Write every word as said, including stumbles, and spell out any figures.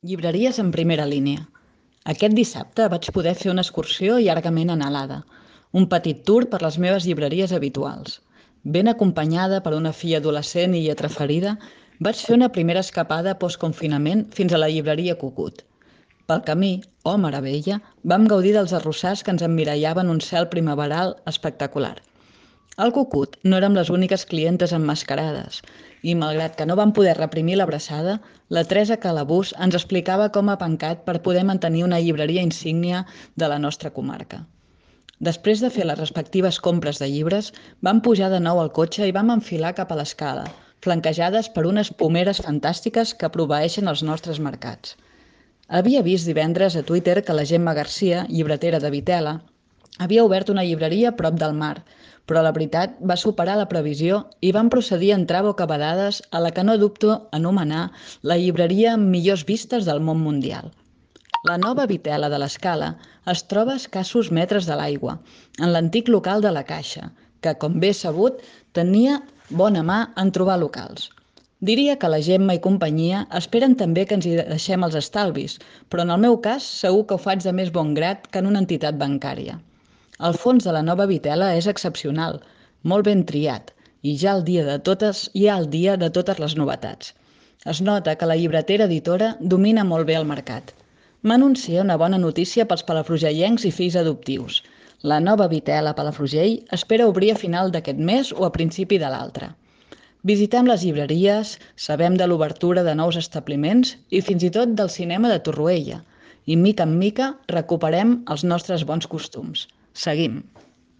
Llibreries en primera línia. Aquest dissabte vaig poder fer una excursió llargament anhelada, un petit tour per les meves llibreries habituals. Ben acompanyada per una filla adolescent i lletra ferida, vaig fer una primera escapada post-confinament fins a la llibreria Cucut. Pel camí, oh meravella, vam gaudir dels arrossars que ens emmirallaven un cel primaveral espectacular. Al Cucut no érem les úniques clientes emmascarades i, malgrat que no vam poder reprimir l'abraçada, la Teresa Calabús ens explicava com ha pencat per poder mantenir una llibreria insígnia de la nostra comarca. Després de fer les respectives compres de llibres, vam pujar de nou al cotxe i vam enfilar cap a l'escala, flanquejades per unes pomeres fantàstiques que proveeixen els nostres mercats. Havia vist divendres a Twitter que la Gemma Garcia, llibretera de Vitela, havia obert una llibreria a prop del mar, però la veritat va superar la previsió i van procedir a entrar bocabadades a la que no dubto anomenar la llibreria amb millors vistes del món mundial. La nova Vitela de l'Escala es troba a escassos metres de l'aigua, en l'antic local de la Caixa, que, com bé sabut, tenia bona mà en trobar locals. Diria que la Gemma i companyia esperen també que ens hi deixem els estalvis, però en el meu cas segur que ho faig de més bon grat que en una entitat bancària. El fons de la nova Vitela és excepcional, molt ben triat, i ja el dia de totes hi ha el dia de totes les novetats. Es nota que la llibretera editora domina molt bé el mercat. M'anuncia una bona notícia pels palafrugellencs i fills adoptius. La nova Vitela Palafrugell espera obrir a final d'aquest mes o a principi de l'altre. Visitem les llibreries, sabem de l'obertura de nous establiments i fins i tot del cinema de Torroella. I mica en mica recuperem els nostres bons costums. Seguim.